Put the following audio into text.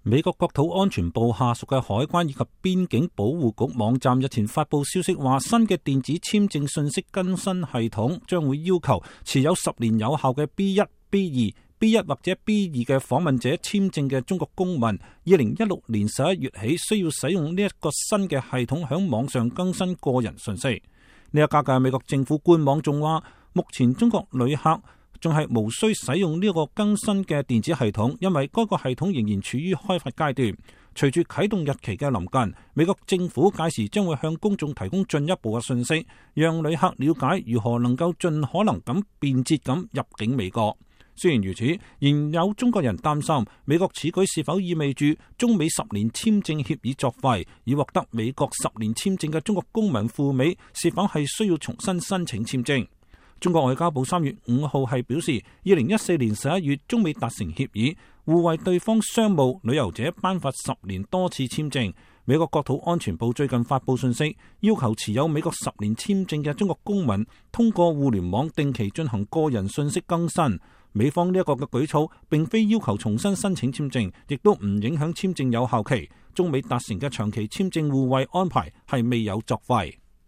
美國國土安全部下屬嘅海關以及邊境保護局網站日前發布消息話，新嘅電子簽證信息更新系統將會要求持有10年有效嘅 B1、B2、B1 或者 B2 嘅訪問者簽證嘅中國公民，2016年11月起需要使用呢一個新嘅系統響網上更新個人信息。呢一家嘅美國政府官網仲話，目前中國旅客仲係無需使用呢個更新嘅電子系統，因為該個系統仍然處於開發階段。隨住啟動日期嘅臨近，美國政府屆時將會向公眾提供進一步嘅信息，讓旅客了解如何能夠盡可能咁便捷咁入境美國。雖然如此，仍有中國人擔心美國此舉是否意味住中美10年簽證協議作廢，以獲得美國10年簽證嘅中國公民赴美是否係需要重新申請簽證。中國外交部3月5號係表示，2014年11月中美達成協議，互為對方商務旅遊者頒發10年多次簽證。美國國土安全部最近發布信息，要求持有美國10年簽證嘅中國公民通過互聯網定期進行個人信息更新。美方呢一個嘅舉措並非要求重新申請簽證，亦都唔影響簽證有效期。中美達成嘅長期簽證互惠安排係未有作廢。